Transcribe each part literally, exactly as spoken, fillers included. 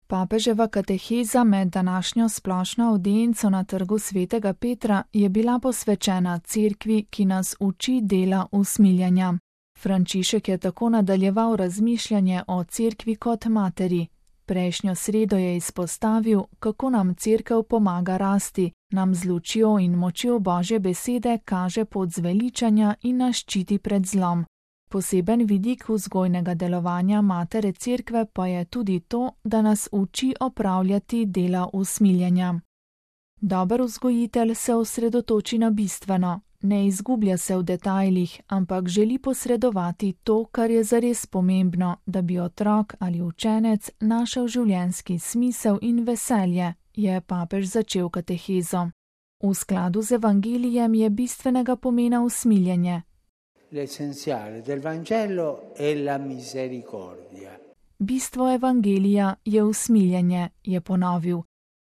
Papeževa kateheza med današnjo splošno avdienco na trgu svetega Petra je bila posvečena cerkvi, ki nas uči dela usmiljenja. Frančišek je tako nadaljeval razmišljanje o cerkvi kot materi. Prejšnjo sredo je izpostavil, kako nam cerkev pomaga rasti, nam z lučjo in močjo Božje besede kaže pot zveličanja in nas ščiti pred zlom. Poseben vidik vzgojnega delovanja matere cerkve pa je tudi to, da nas uči opravljati dela usmiljenja. Dober vzgojitelj se osredotoči na bistveno, ne izgublja se v detajlih, ampak želi posredovati to, kar je zares pomembno, da bi otrok ali učenec našel življenjski smisel in veselje, je papež začel katehezo. V skladu z evangelijem je bistvenega pomena usmiljenje. L'essenziale del Vangelo è la misericordia. Bistvo evangelija je usmiljenje, je ponovil.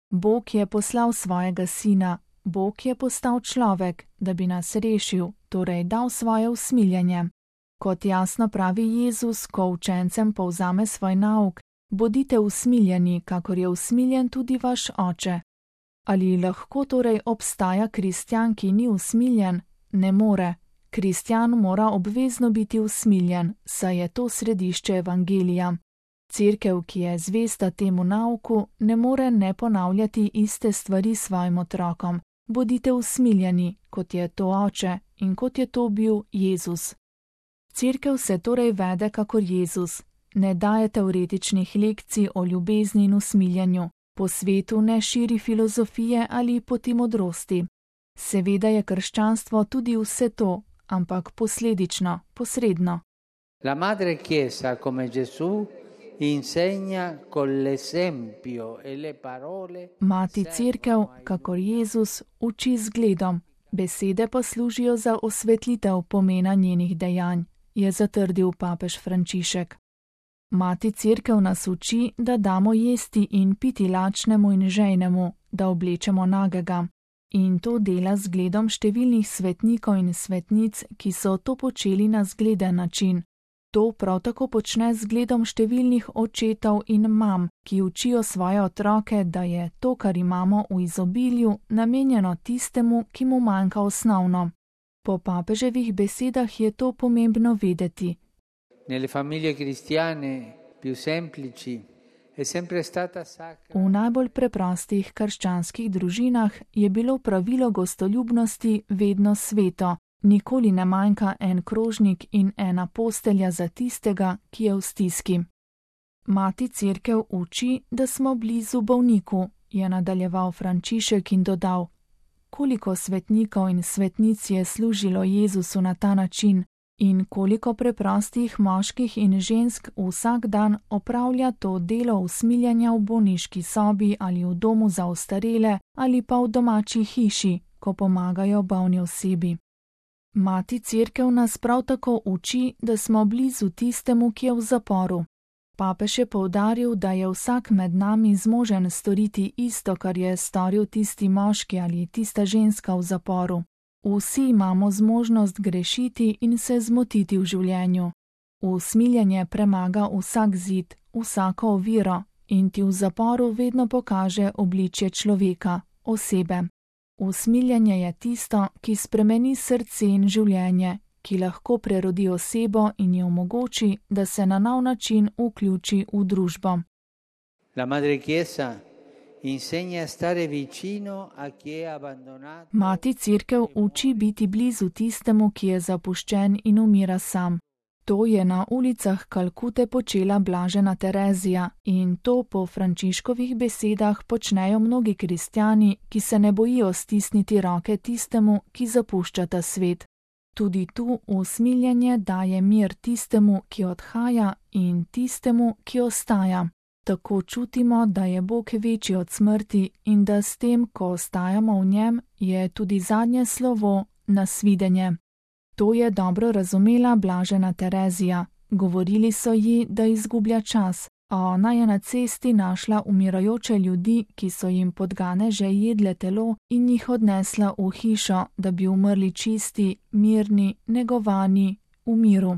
Bog je poslal svojega sina, Bog je postal človek, da bi nas rešil, torej dal svoje usmiljenje. Kot jasno pravi Jezus, ko učencem povzame svoj nauk, bodite usmiljeni, kakor je usmiljen tudi vaš oče. Ali lahko torej obstaja kristjan, ki ni usmiljen? Ne more. Kristjan mora obvezno biti usmiljen, saj je to središče evangelija. Cerkev, ki je zvesta temu nauku, ne more ne ponavljati iste stvari svojim otrokom. Bodite usmiljeni, kot je to oče in kot je to bil Jezus. Cerkev se torej vede kakor Jezus. Ne daje teoretičnih lekcij o ljubezni in usmiljenju. Po svetu ne širi filozofije ali poti modrosti. Seveda je krščanstvo tudi vse to, ampak posledično, posredno. La Madre Chiesa, come Gesù, insegna con l'esempio e le parole. Mati cerkev, kakor Jezus, uči z zgledom, besede pa služijo za osvetlitev pomena njenih dejanj, je zatrdil papež Frančišek. Mati cerkev nas uči, da damo jesti in piti lačnemu in žejnemu, da oblečemo nagega. In to dela z zgledom številnih svetnikov in svetnic, ki so to počeli na zgleden način. To prav tako počne z zgledom številnih očetov in mam, ki učijo svoje otroke, da je to, kar imamo v izobilju, namenjeno tistemu, ki mu manjka osnovno. Po papeževih besedah je to pomembno vedeti. Nelle famiglie cristiane più semplici è sempre stata sacra. V najbolj preprostih krščanskih družinah je bilo pravilo gostoljubnosti vedno sveto. Nikoli ne manjka en krožnik in ena postelja za tistega, ki je v stiski. Mati cerkev uči, da smo blizu bolniku, je nadaljeval Frančišek in dodal: koliko svetnikov in svetnic je služilo Jezusu na ta način in koliko preprostih moških in žensk vsak dan opravlja to delo usmiljanja v bolniški sobi ali v domu za ostarele ali pa v domači hiši, ko pomagajo bolni osebi. Mati cerkev nas prav tako uči, da smo blizu tistemu, ki je v zaporu. Papež je poudaril, da je vsak med nami zmožen storiti isto, kar je storil tisti moški ali tista ženska v zaporu. Vsi imamo zmožnost grešiti in se zmotiti v življenju. Usmiljenje premaga vsak zid, vsako oviro in ti v zaporu vedno pokaže obličje človeka, osebe. Usmiljenje je tisto, ki spremeni srce in življenje, ki lahko prerodi osebo in ji omogoči, da se na nov način vključi v družbo. La Madre Chiesa insegna a stare vicino a chi è abbandonato. Mati cerkev uči biti blizu tistemu, ki je zapuščen in umira sam. To je na ulicah Kalkute počela blažena Terezija in to po Frančiškovih besedah počnejo mnogi kristjani, ki se ne bojijo stisniti roke tistemu, ki zapušča ta svet. Tudi tu usmiljenje daje mir tistemu, ki odhaja in tistemu, ki ostaja. Tako čutimo, da je Bog večji od smrti in da s tem, ko ostajamo v njem, je tudi zadnje slovo nasvidenje. To je dobro razumela blažena Terezija. Govorili so ji, da izgublja čas, a ona je na cesti našla umirajoče ljudi, ki so jim podgane že jedle telo in jih odnesla v hišo, da bi umrli čisti, mirni, negovani, v miru.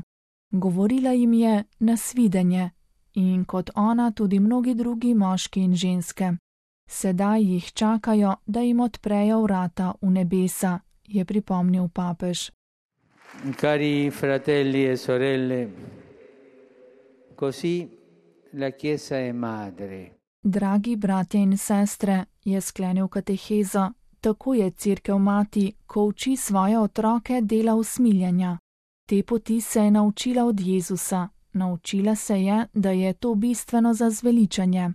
Govorila jim je nasvidenje in kot ona tudi mnogi drugi moški in ženske. Sedaj jih čakajo, da jim odprejo vrata v nebesa, je pripomnil papež. Cari fratelli e sorelle, così la Chiesa è madre. Dragi bratje in sestre, je sklenil katehezo, tako je Cerkev mati, ko uči svoje otroke dela usmiljenja. Te poti se je naučila od Jezusa, naučila se je, da je to bistveno za zveličanje.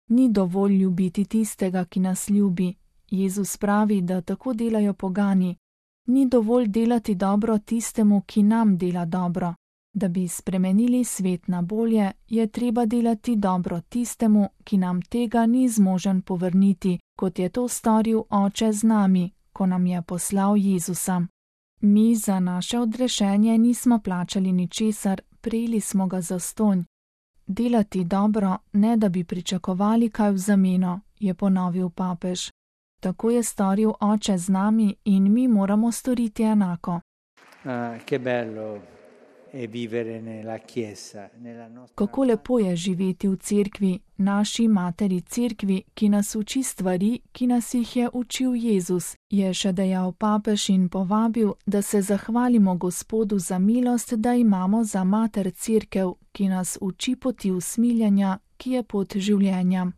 Ni dovolj ljubiti tistega, ki nas ljubi. Jezus pravi, da tako delajo pogani. Ni dovolj delati dobro tistemu, ki nam dela dobro. Da bi spremenili svet na bolje, je treba delati dobro tistemu, ki nam tega ni zmožen povrniti, kot je to storil Oče z nami, ko nam je poslal Jezusa. Mi za naše odrešenje nismo plačali ničesar, prejeli smo ga zastonj. Delati dobro, ne da bi pričakovali kaj v zameno, je ponovil papež. Tako je storil Oče z nami in mi moramo storiti enako. Ah, che bello è vivere nella Chiesa, nella nostra... Kako lepo je živeti v cerkvi, naši materi cerkvi, ki nas uči stvari, ki nas jih je učil Jezus, je še dejal papež in povabil, da se zahvalimo Gospodu za milost, da imamo za mater cerkev, ki nas uči poti usmiljenja, ki je pot življenja.